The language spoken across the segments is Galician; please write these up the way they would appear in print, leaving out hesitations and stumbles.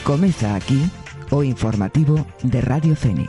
Comeza aquí o informativo de Radio Fene.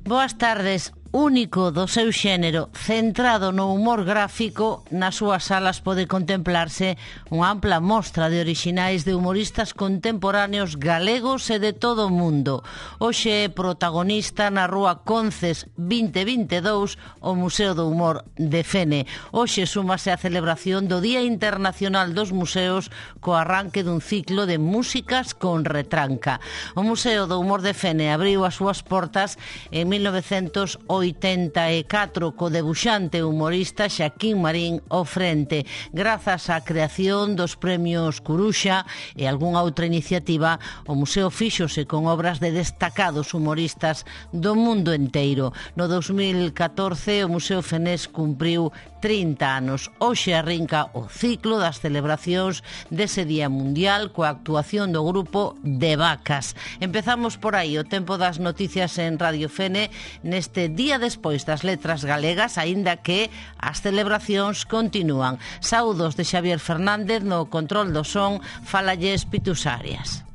Boas tardes. Único do seu xénero, centrado no humor gráfico, nas súas salas pode contemplarse unha ampla mostra de orixinais de humoristas contemporáneos galegos e de todo o mundo. Hoxe é protagonista na Rúa Conces 2022 o Museo do Humor de Fene. Hoxe súmase a celebración do Día Internacional dos Museos co arranque dun ciclo de músicas con retranca. O Museo do Humor de Fene abriu as súas portas en 1984 co debuxante humorista Xaquín Marín ao frente. Grazas á creación dos premios Curuxa e algunha outra iniciativa, o museo fíxose con obras de destacados humoristas do mundo enteiro. No 2014 o Museo Fenés cumpriu 30 anos. Hoxe arrinca o ciclo das celebracións dese Día Mundial coa actuación do grupo De Vacas. Empezamos por aí o tempo das noticias en Radio Fene neste día despois das letras galegas, aínda que as celebracións continúan. Saúdos de Xavier Fernández no control do son, falalles Pitus Arias.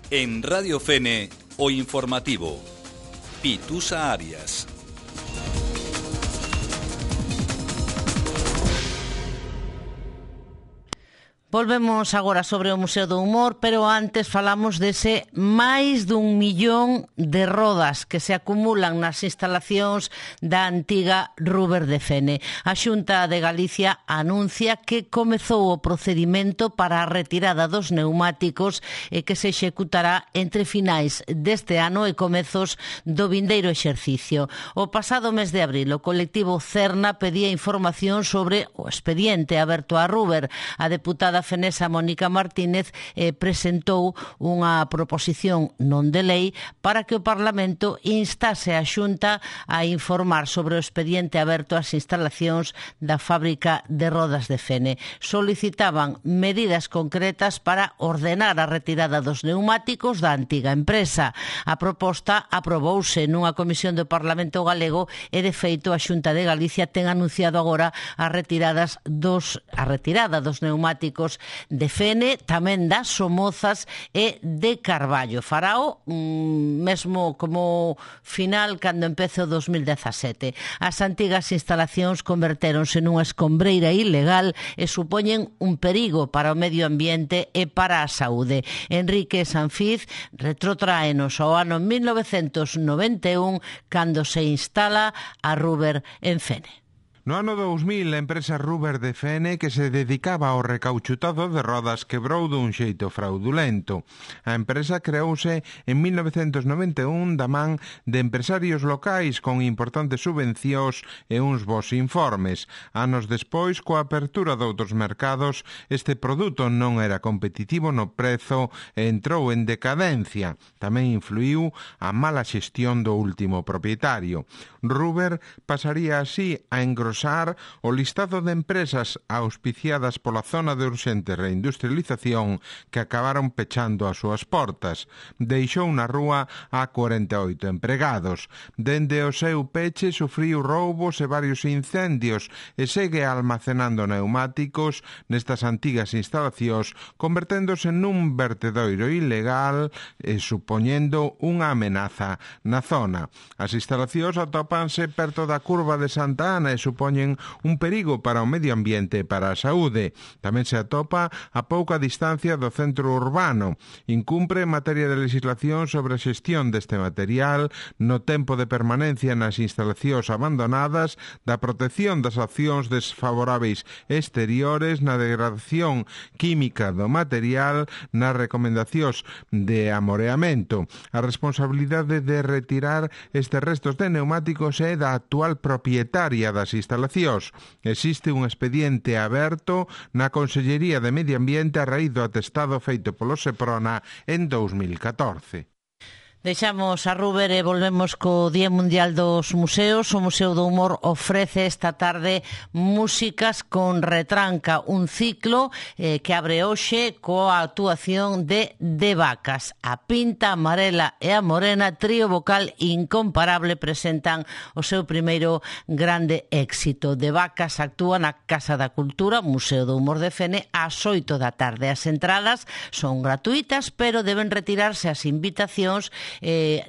En Radio Fene, o informativo. Pitusa Arias. Volvemos agora sobre o Museo do Humor, pero antes falamos dese máis dun millón de rodas que se acumulan nas instalacións da antiga Ruber de Fene. A Xunta de Galicia anuncia que comezou o procedimento para a retirada dos neumáticos e que se executará entre finais deste ano e comezos do vindeiro exercicio. O pasado mes de abril, o colectivo Cerna pedía información sobre o expediente aberto a Ruber. A deputada fenesa Mónica Martínez presentou unha proposición non de lei para que o Parlamento instase a Xunta a informar sobre o expediente aberto ás instalacións da fábrica de rodas de Fene. Solicitaban medidas concretas para ordenar a retirada dos neumáticos da antiga empresa. A proposta aprobouse nunha comisión do Parlamento galego e, de feito, a Xunta de Galicia ten anunciado agora a retirada dos neumáticos de Fene, tamén das Somozas e de Carballo. Farao mesmo como final cando empece o 2017. As antigas instalacións convertéronse nunha escombreira ilegal e supoñen un perigo para o medio ambiente e para a saúde. Enrique Sanfiz retrotráenos ao ano 1991 cando se instala a Ruber en Fene. No ano 2000, a empresa Ruber de Fene, que se dedicaba ao recauchutado de rodas, quebrou dun xeito fraudulento. A empresa creouse en 1991 da man de empresarios locais con importantes subvencións e uns bons informes. Anos despois, coa apertura de outros mercados, este produto non era competitivo no prezo e entrou en decadencia. Tamén influiu a mala xestión do último propietario. Ruber pasaría así a engrosar o listado de empresas auspiciadas pola zona de urxente reindustrialización que acabaron pechando as súas portas. Deixou na rúa a 48 empregados. Dende o seu peche sufriu roubos e varios incendios e segue almacenando neumáticos nestas antigas instalacións, converténdose nun vertedoiro ilegal e supoñendo unha amenaza na zona. As instalacións atópanse perto da curva de Santa Ana e supoñen un perigo para o medio ambiente e para a saúde. Tamén se atopa a pouca distancia do centro urbano. Incumpre en materia de legislación sobre a xestión deste material, no tempo de permanencia nas instalacións abandonadas, da protección das accións desfavoráveis exteriores, na degradación química do material, nas recomendacións de amoreamento. A responsabilidade de retirar estes restos de neumáticos é da actual propietaria das instalacións instalacións. Existe un expediente aberto na Consellería de Medio Ambiente a raíz do atestado feito polo Seprona en 2014. Deixamos a Ruber e volvemos co Día Mundial dos Museos. O Museo do Humor ofrece esta tarde Músicas con Retranca, un ciclo que abre hoxe coa actuación de Vacas. A Pinta, a Amarela e a Morena, trío vocal incomparable, presentan o seu primeiro grande éxito. De Vacas actúa na Casa da Cultura, Museo do Humor de Fene, ás 8 da tarde. As entradas son gratuitas, pero deben retirarse as invitacións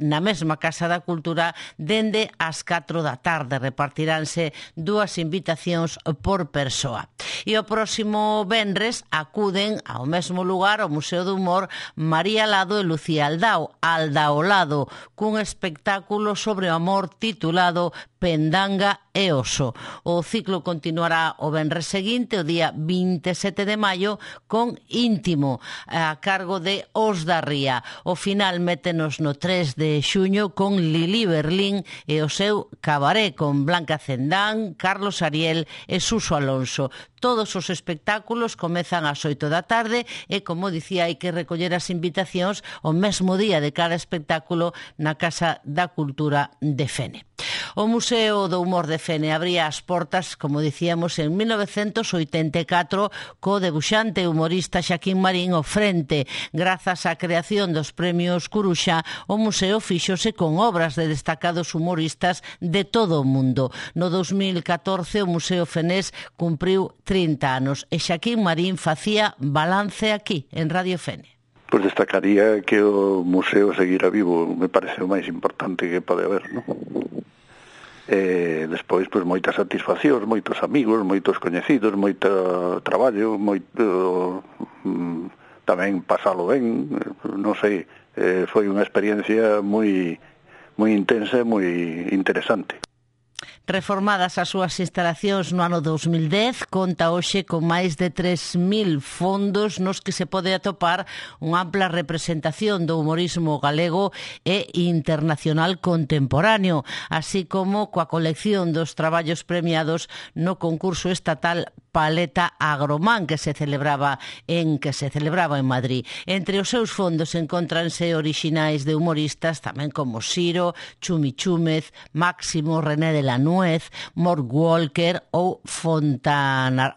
na mesma Casa da Cultura dende as 4 da tarde. Repartiránse 2 invitacións por persoa. E o próximo venres acuden ao mesmo lugar, ao Museo do Humor, María Lado e Lucía Aldao, Aldaolado, cun espectáculo sobre o amor titulado Pendanga e Oso. O ciclo continuará o venres seguinte, o día 27 de maio, con Íntimo, a cargo de Os da Ría. O final métenos no 3 de xuño con Lili Berlín e o seu cabaré con Blanca Cendán, Carlos Ariel e Suso Alonso. Todos os espectáculos comezan ás 8 da tarde e, como dicía, hai que recoller as invitacións o mesmo día de cada espectáculo na Casa da Cultura de Fene. O Museo do Humor de Fene abría as portas, como dicíamos, en 1984 co debuxante e humorista Xaquín Marín ao frente. Grazas á creación dos premios Curuxa, o museo fíxose con obras de destacados humoristas de todo o mundo. No 2014 o Museo Fenés cumpriu 30 anos e Xaquín Marín facía balance aquí, en Radio Fene. Pois destacaría que o museo seguirá vivo, me parece o máis importante que pode haber, non? Despois, pois, moitas satisfaccións, moitos amigos, moitos coñecidos, moito traballo, moito tamén pasalo ben, non sei, foi unha experiencia moi intensa e moi interesante. Reformadas as súas instalacións no ano 2010, conta hoxe con máis de 3.000 fondos nos que se pode atopar unha ampla representación do humorismo galego e internacional contemporáneo, así como coa colección dos traballos premiados no concurso estatal Paleta Agromán que se celebraba en Madrid. Entre os seus fondos encontranse orixinais de humoristas tamén como Siro, Chumi Chúmez, Máximo, René de la Nuez, Mort Walker ou Fontana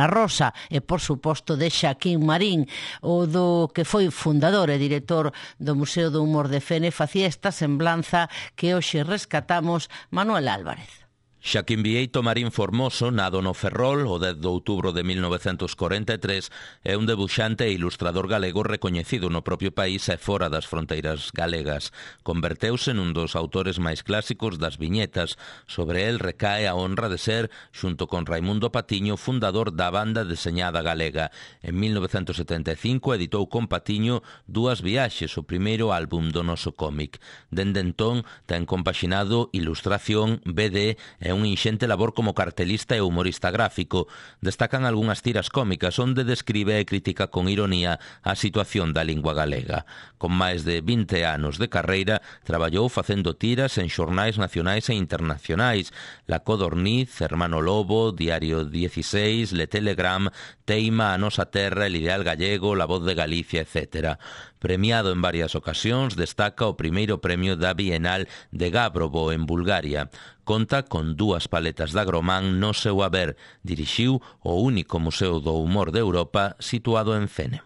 Rosa e, por suposto, de Xaquín Marín, o do que foi fundador e director do Museo do Humor de Fene. Facía esta semblanza que hoxe rescatamos Manuel Álvarez. Xaquín Vieito Marín Formoso, nado no Ferrol o 10 de outubro de 1943, é un debuxante e ilustrador galego recoñecido no propio país e fora das fronteiras galegas. Converteuse nun dos autores máis clásicos das viñetas. Sobre el recae a honra de ser, xunto con Raimundo Patiño, fundador da banda deseñada galega. En 1975 editou con Patiño 2 viaxes, o primeiro álbum do noso cómic. Dende entón, ten compaxinado ilustración, BD e un inxente labor como cartelista e humorista gráfico. Destacan algunhas tiras cómicas onde describe e critica con ironía a situación da lingua galega. Con máis de 20 anos de carreira, traballou facendo tiras en xornais nacionais e internacionais: La Codorniz, Hermano Lobo, Diario 16, Le Telegram, Teima, A Nosa Terra, El Ideal Gallego, La Voz de Galicia, etc. Premiado en varias ocasións, destaca o primeiro premio da Bienal de Gabrovo, en Bulgaria. Conta con 2 paletas de Agromán no seu haber. Dirixiu o único museo do humor de Europa situado en Fene.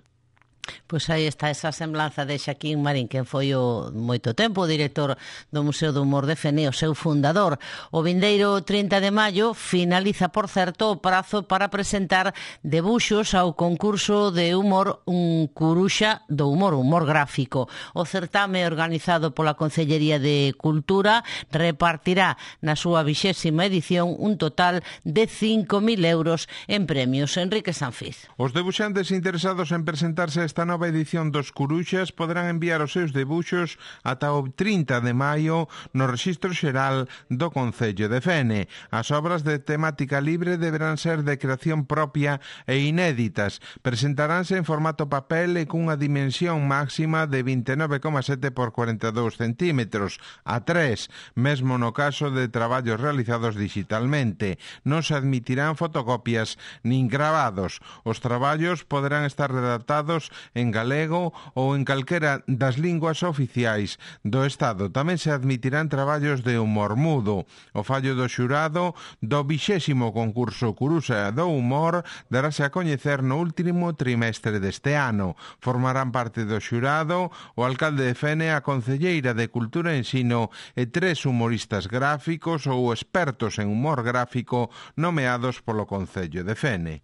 Pois aí está esa semblanza de Xaquín Marín, que foi moito tempo o director do Museo do Humor de Fene, o seu fundador. O vindeiro 30 de maio finaliza, por certo, o prazo para presentar debuxos ao concurso de humor Un Curuxa do Humor, humor gráfico. O certame organizado pola Concellería de Cultura repartirá na súa 20ª edición un total de 5.000 euros en premios. Enrique Sanfiz. Os debuxantes interesados en presentarse esta desta nova edición dos Curuxas poderán enviar os seus debuxos ata o 30 de maio no Rexistro Xeral do Concello de Fene. As obras de temática libre deberán ser de creación propia e inéditas. Presentaránse en formato papel e cunha dimensión máxima de 29,7 por 42 centímetros, a 3, mesmo no caso de traballos realizados digitalmente. Non se admitirán fotocopias nin gravados. Os traballos poderán estar redactados en galego ou en calquera das linguas oficiais do Estado. Tamén se admitirán traballos de humor mudo. O fallo do xurado do 20º concurso Curuxa do Humor darase a coñecer no último trimestre deste ano. Formarán parte do xurado o alcalde de Fene, a concelleira de Cultura e Ensino e 3 humoristas gráficos ou expertos en humor gráfico nomeados polo Concello de Fene.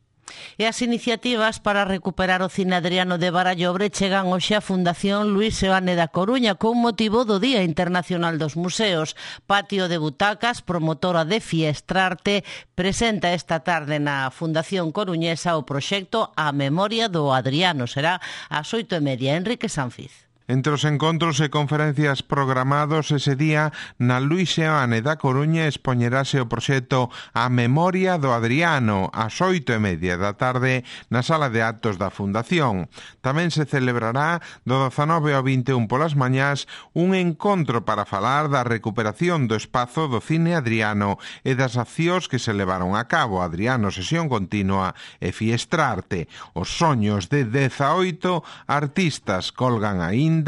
E as iniciativas para recuperar o Cine Adriano de Barallobre chegan hoxe á Fundación Luís Seoane da Coruña con motivo do Día Internacional dos Museos. Patio de Butacas, promotora de Fiestrarte, presenta esta tarde na Fundación Coruñesa o proxecto A Memoria do Adriano. Será ás 8:30. Enrique Sanfiz. Entre os encontros e conferencias programados ese día, na Luís Seoane da Coruña expoñerase o proxecto A Memoria do Adriano ás 8:30 da tarde na sala de actos da Fundación. Tamén se celebrará do 19 ao 21 polas mañás un encontro para falar da recuperación do espazo do Cine Adriano e das accións que se levaron a cabo. Adriano, Sesión Continua e Fiestrarte. Os soños de 18 artistas colgan aínda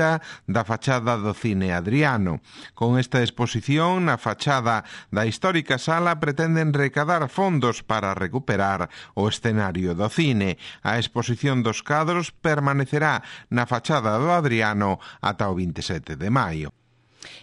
da fachada do Cine Adriano. Con esta exposición na fachada da histórica sala pretenden recadar fondos para recuperar o escenario do cine. A exposición dos cadros permanecerá na fachada do Adriano ata o 27 de maio.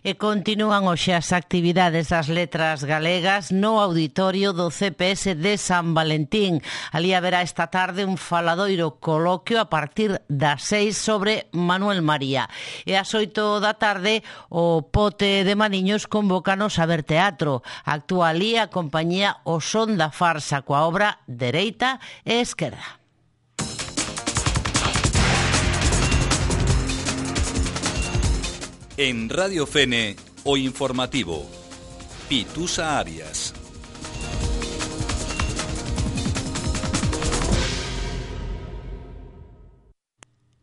E continúan hoxe as actividades das letras galegas no auditorio do CPS de San Valentín. Ali haberá esta tarde un faladoiro coloquio a partir das 6 sobre Manuel María. E ás 8 da tarde o Pote de Maniños convócanos a ver teatro. Actúa ali a compañía O Son da Farsa coa obra Dereita e Esquerda. En Radio Fene, o informativo. Pitusa Arias.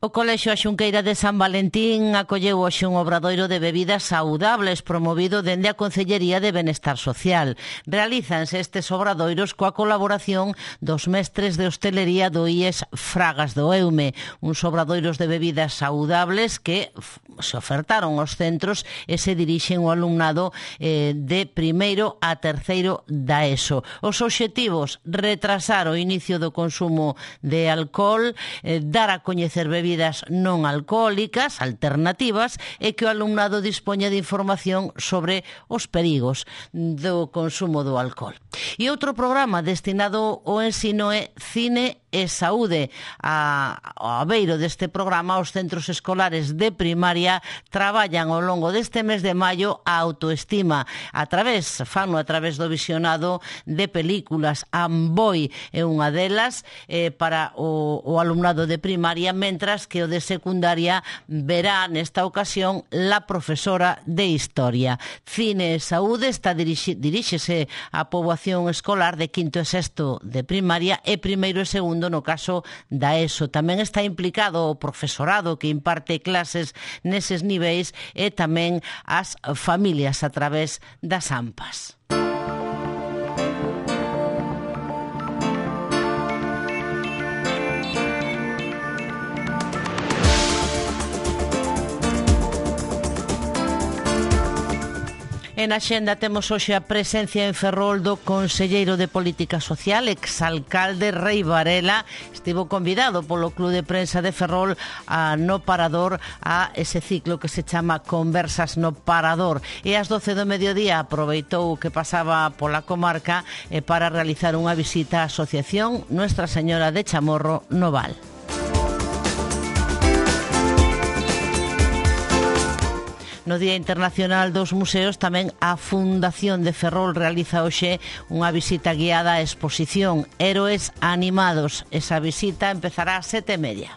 O Colexio A Xunqueira de San Valentín acolleu hoxe un obradoiro de bebidas saudables promovido dende a Concellería de Benestar Social. Realízanse estes obradoiros coa colaboración dos mestres de hostelería do IES Fragas do Eume, uns obradoiros de bebidas saudables que se ofertaron aos centros e se dirixen ao alumnado de primeiro a terceiro da ESO. Os obxectivos: retrasar o inicio do consumo de alcohol, dar a coñecer bebidas non alcohólicas, alternativas, e que o alumnado dispoña de información sobre os perigos do consumo do alcohol. E outro programa destinado ao ensino é Cine e Saúde. Ao abeiro deste programa, os centros escolares de primaria traballan ao longo deste mes de maio a autoestima fano a través do visionado de películas. Amboy é unha delas para o alumnado de primaria, mentras que o de secundaria verá nesta ocasión La Profesora de Historia. Cine e Saúde diríxese á poboación escolar de quinto e sexto de primaria e primeiro e segundo no caso da ESO. Tamén está implicado o profesorado que imparte clases neses niveis e tamén as familias a través das AMPAs. En Axenda temos hoxe a presencia en Ferrol do conselleiro de Política Social, exalcalde Rei Varela. Estivo convidado polo Club de Prensa de Ferrol no Parador a ese ciclo que se chama Conversas no Parador. E ás 12 do mediodía aproveitou que pasaba pola comarca para realizar unha visita á Asociación Nuestra Señora de Chamorro no Val. No Día Internacional dos Museos tamén a Fundación de Ferrol realiza hoxe unha visita guiada á exposición Héroes Animados. Esa visita empezará ás 7:30.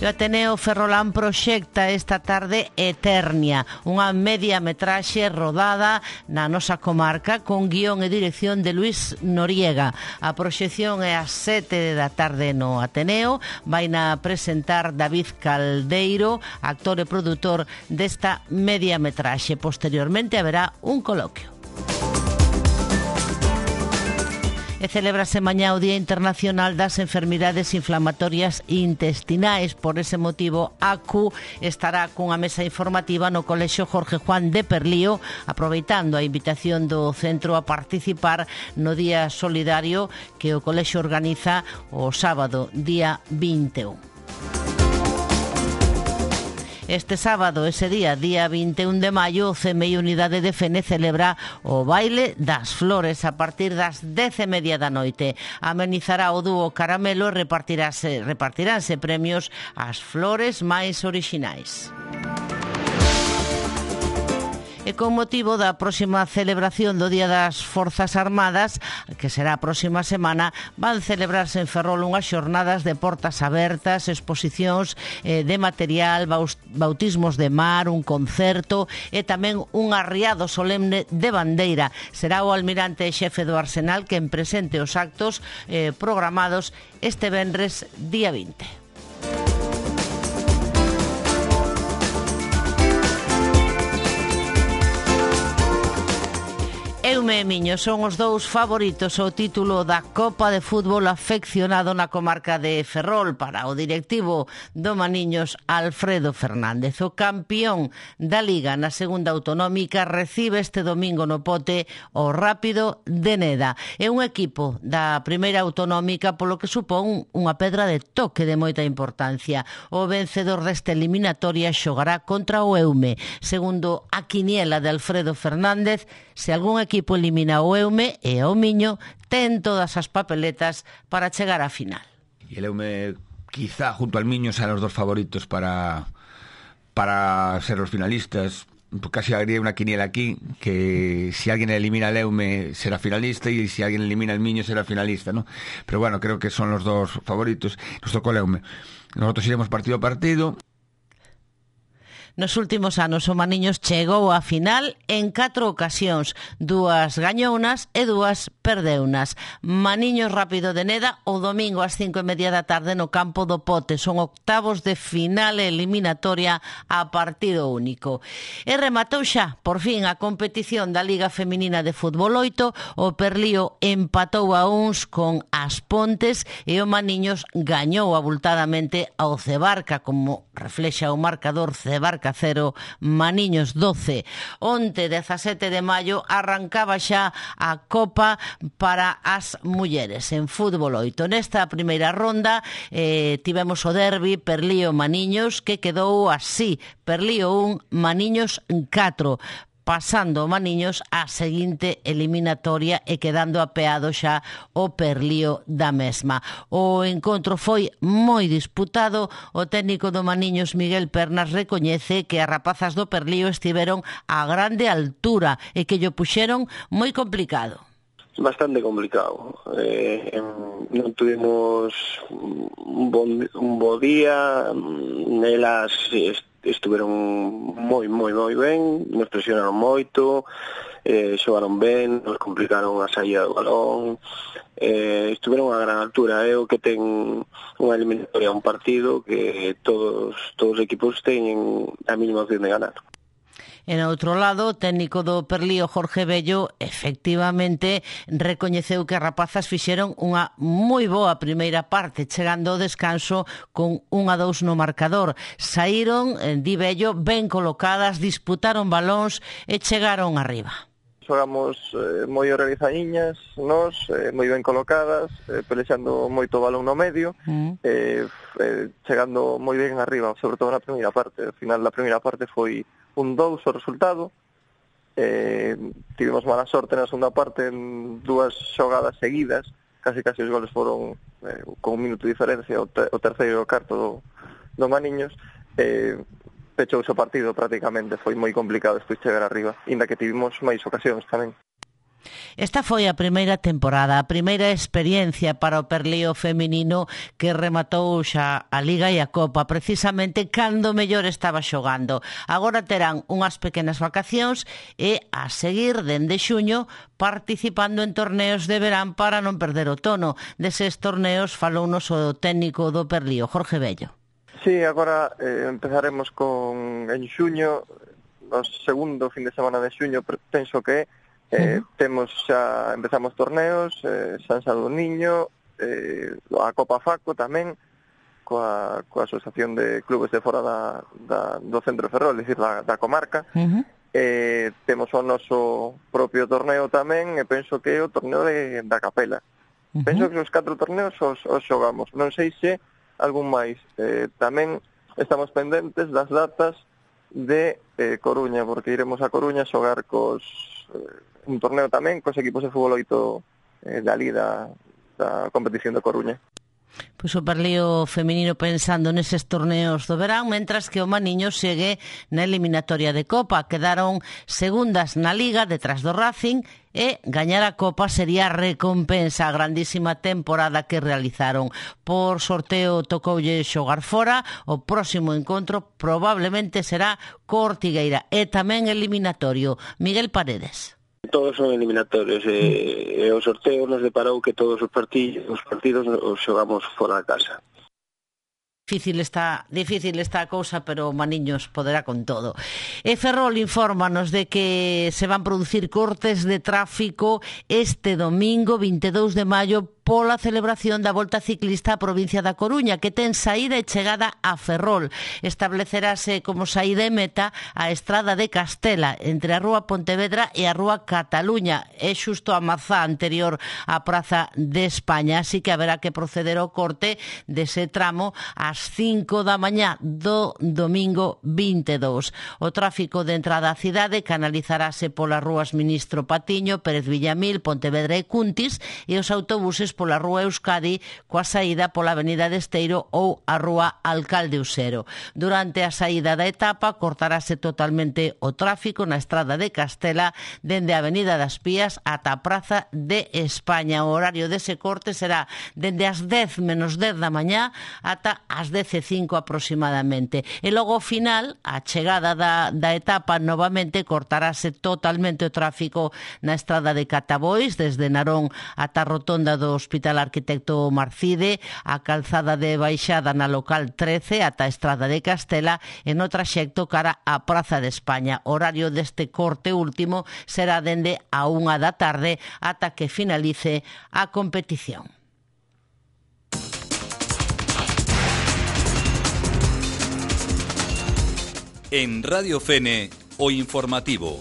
O Ateneo Ferrolán proxecta esta tarde Eternia, unha media metraxe rodada na nosa comarca con guión e dirección de Luis Noriega. A proxección é ás 7 da tarde no Ateneo. Vaina presentar David Caldeiro, actor e produtor desta media metraxe. Posteriormente haberá un coloquio. E celébrase mañá o Día Internacional das Enfermidades Inflamatorias Intestinais. Por ese motivo, ACU estará cunha mesa informativa no Colexio Jorge Juan de Perlío, aproveitando a invitación do centro a participar no Día Solidario que o Colexio organiza o sábado, día 21. Este sábado, ese día 21 de maio, o CMI Unidade de Fene celebra o Baile das Flores a partir das 10:30 da noite. Amenizará o dúo Caramelo e repartiránse premios ás flores máis orixinais. E con motivo da próxima celebración do Día das Forzas Armadas, que será a próxima semana, van celebrarse en Ferrol unhas xornadas de portas abertas, exposicións de material, bautismos de mar, un concerto e tamén un arriado solemne de bandeira. Será o almirante e xefe do Arsenal quen presente os actos programados este venres día 20. Eume e Miño son os dous favoritos ao título da Copa de Fútbol afeccionado na comarca de Ferrol para o directivo do Maniños Alfredo Fernández. O campión da Liga na segunda autonómica recibe este domingo no Pote o Rápido de Neda. É un equipo da primeira autonómica polo que supón unha pedra de toque de moita importancia. O vencedor desta eliminatoria xogará contra o Eume. Segundo a quiniela de Alfredo Fernández, se algún equipo elimina o Eume e o Miño, ten todas as papeletas para chegar á final. Y el Eume, quizá junto al Miño, sean los dos favoritos para ser los finalistas. Casi haría una quiniela aquí, que si alguien elimina al Eume será finalista y si alguien elimina al Miño será finalista, ¿no? Pero bueno, creo que son los dos favoritos. Nos tocó el Eume. Nosotros iremos partido a partido. Nos últimos anos o Maniños chegou á final en 4 ocasións, 2 gañounas e 2 perdeunas. Maniños Rápido de Neda o domingo ás 5:30 da tarde no campo do Pote. Son octavos de final eliminatoria a partido único. E rematou xa, por fin, a competición da Liga Feminina de Fútbol 8. O Perlío empatou a uns con As Pontes e o Maniños gañou abultadamente ao Cebarca, como reflexa o marcador. Cebarca 0, Maniños 12. Onte, 17 de maio, arrancaba xa a Copa para as mulleres en fútbol 8. Nesta primeira ronda tivemos o derbi Perlío-Maniños, que quedou así: Perlío 1, Maniños 4. Pasando o Maniños á seguinte eliminatoria e quedando apeado xa o Perlío da mesma. O encontro foi moi disputado. O técnico do Maniños, Miguel Pernas, recoñece que as rapazas do Perlío estiveron a grande altura e que llo puxeron moi complicado. Bastante complicado. Non tuvimos un bo día. Nelas estiveron moi ben, nos presionaron moito, xogaron ben, nos complicaron a saída do balón, estiveron a gran altura. É o que ten unha eliminatoria, un partido que todos os equipos teñen a mínima opción de ganar. En outro lado, o técnico do Perlío, Jorge Bello, efectivamente recoñeceu que as rapazas fixeron unha moi boa primeira parte, chegando ao descanso con 1-2 no marcador. Saíron, di Bello, ben colocadas, disputaron balóns e chegaron arriba. Xogamos moi organizadiñas, nos, moi ben colocadas, pelexando moito balón no medio, chegando moi ben arriba, sobre todo na primeira parte. Ao final da primeira parte foi 1-2 o resultado. Tivemos mala sorte na segunda parte en 2 xogadas seguidas, casi os goles foron con un minuto de diferencia, o terceiro e o cuarto do Maniños. Pechouse o partido prácticamente, foi moi complicado despois chegar arriba, inda que tivemos máis ocasións tamén. Esta foi a primeira temporada, a primeira experiencia para o Perlío feminino que rematou xa a Liga e a Copa, precisamente cando mellor estaba xogando. Agora terán unhas pequenas vacacións e a seguir dende xuño participando en torneos de verán para non perder o tono. Deses torneos falounos o técnico do Perlío, Jorge Bello. Sí, agora empezaremos en xuño, o segundo fin de semana de xuño, penso que empezamos torneos, San Sadurniño, a Copa Faco tamén, coa Asociación de Clubes de fora do Centro de Ferrol, é dicir, da comarca. Temos o noso propio torneo tamén, e penso que é o torneo da Capela. Penso que os 4 torneos os xogamos. Non sei se algún máis. Tamén estamos pendentes das datas de Coruña, porque iremos a Coruña a xogar un torneo tamén cos equipos de fútbol 8 da Liga da competición de Coruña. Pois o Perlío feminino pensando neses torneos do verán, mentras que o Maniño segue na eliminatoria de Copa. Quedaron segundas na Liga detrás do Racing e gañar a Copa sería a recompensa a grandísima temporada que realizaron. Por sorteo tocoulle xogar fora, o próximo encontro probablemente será co Ortigueira e tamén eliminatorio. Miguel Paredes. Todos son eliminatorios e o sorteo nos deparou que todos os partidos os xogamos fora da casa. Difícil está a cousa, pero Maniños poderá con todo. E Ferrol infórmanos de que se van producir cortes de tráfico este domingo 22 de maio pola celebración da Volta Ciclista á provincia da Coruña, que ten saída e chegada a Ferrol. Establecerase como saída e meta a Estrada de Castela, entre a Rúa Pontevedra e a Rúa Cataluña. É xusto a mazá anterior á Praza de España, así que haberá que proceder ao corte dese tramo ás 5 da mañá do domingo 22. O tráfico de entrada á cidade canalizarase polas rúas Ministro Patiño, Pérez Villamil, Pontevedra e Cuntis, e os autobuses pola Rúa Euskadi coa saída pola Avenida de Esteiro ou a Rúa Alcalde Usero. Durante a saída da etapa cortarase totalmente o tráfico na Estrada de Castela dende a Avenida das Pías ata a Praza de España. O horario dese corte será dende as 10 menos 10 da mañá ata as 10:05 aproximadamente. E logo ao final, a chegada da etapa novamente cortarase totalmente o tráfico na Estrada de Catabois desde Narón ata a rotonda do Hospital Arquitecto Marcide, a calzada de baixada na local 13 ata a Estrada de Castela e no traxecto cara á Praza de España. O horario deste corte último será dende a 1 da tarde ata que finalice a competición. En Radio Fene, o informativo.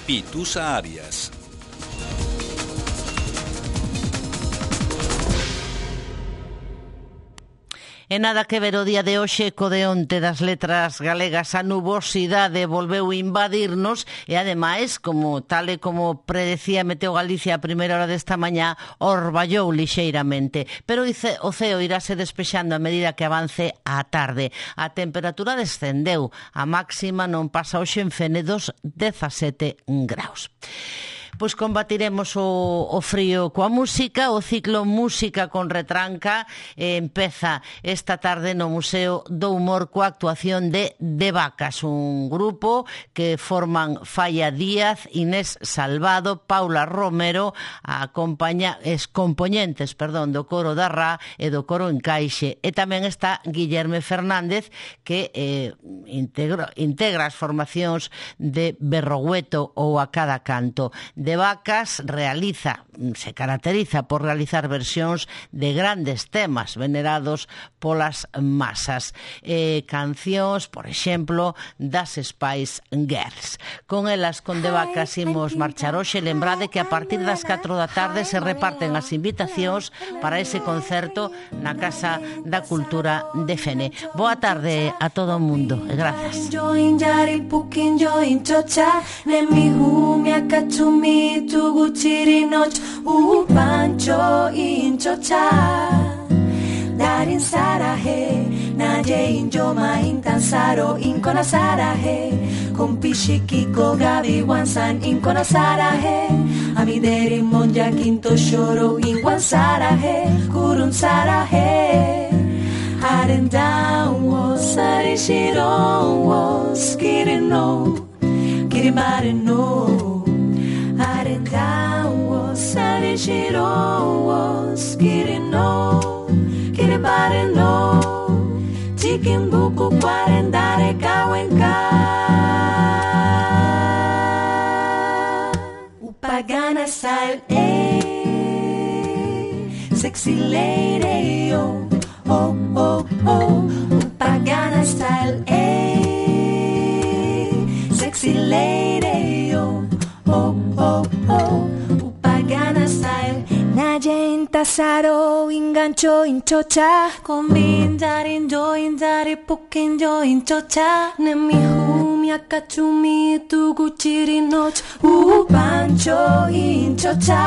Pitusa Arias. E nada que ver o día de hoxe co de onte das letras galegas. A nubosidade volveu invadirnos e, ademais, tal e como predecía Meteo Galicia a primeira hora desta mañá, orballou lixeiramente. Pero o ceo irase despexando a medida que avance a tarde. A temperatura descendeu. A máxima non pasa hoxe en Fene dos 17 graus. Pois combatiremos o frío coa música. O ciclo Música con Retranca empeza esta tarde no Museo do Humor coa actuación de Vacas, un grupo que forman Falla Díaz, Inés Salvado, Paula Romero, compoñentes do coro da Ra e do coro Encaixe, e tamén está Guillerme Fernández, que integra as formacións de Berrogueto ou A Cada Canto. De Vacas se caracteriza por realizar versións de grandes temas venerados polas masas, cancións, por exemplo, das Spice Girls. Con elas, con De Vacas, imos marchar hoxe. Lembrade que a partir das 4 da tarde se reparten as invitacións para ese concerto na Casa da Cultura de Fene. Boa tarde a todo o mundo e grazas. Tuguchirinoch pancho inchocha darin sarahe naje injoma intansaro inkona sarahe Kompishi Kiko Gabi Wansan Inkona Sarahe Amideri Monja Kinto Shoro Inkwan Sarahe Kurun Sarahe Haren down was Sari Shiron was Kirino Kiribari no Haren down was Sari Shiron was Kirino Kiribari no Chikin buku kwarendare kawenka Upagana style sexy lady oh oh oh oh Upagana style sexy lady oh oh oh oh Upagana style Naje intasaro ingancho inchocha Kombindari indari pukinjo inchocha Nemi humi akachumi tuguchiri noch Pancho inchocha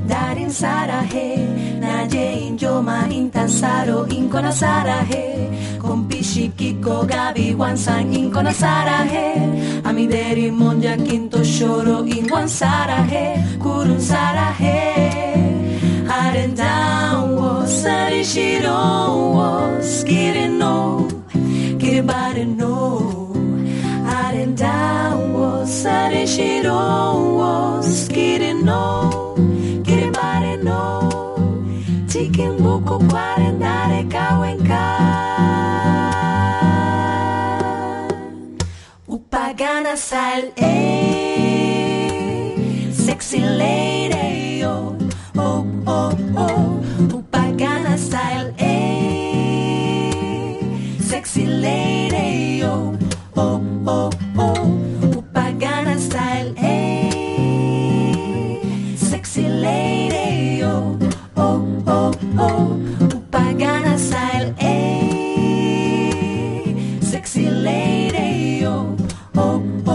Darin sarahe Naje injoma intasaro inkona sarahe Kompishi Kiko Gabi Wansan inkona sarahe Amideri Monja Kinto Shoro inkwan sarahe Kurun sarahe Haren down was Sari Shiron was Kirino Kiribari no Haren down was Sari Shiron was Kirino Kiribari no Chicken buku kwarendare kawenka Upagana style sexy lady oh oh oh oh Upagana style sexy lady oh oh oh oh Upagana style sexy lady oh oh oh oh Upagana style sexy lady oh oh oh